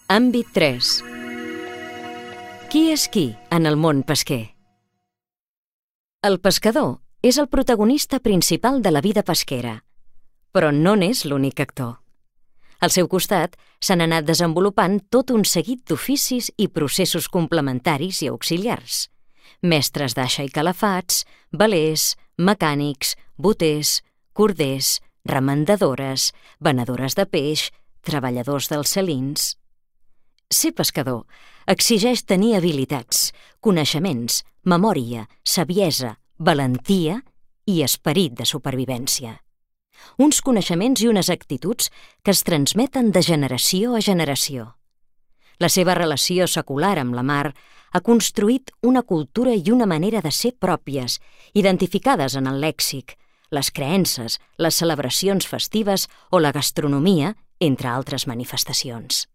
Àmbit 3. Qui és qui en el món pesquer? El pescador és el protagonista principal de la vida pesquera, però no n'és l'únic actor. Al seu costat s'han anat desenvolupant tot un seguit d'oficis i processos complementaris i auxiliars. Mestres d'aixa i calafats, velers, mecànics, boters, corders, remendadores, venedores de peix, treballadors dels salins. Ser pescador exigeix tenir habilitats, coneixements, memòria, saviesa, valentia i esperit de supervivència. Uns coneixements i unes actituds que es transmeten de generació a generació. La seva relació secular amb la mar ha construït una cultura i una manera de ser pròpies, identificades en el lèxic, les creences, les celebracions festives o la gastronomia, entre altres manifestacions.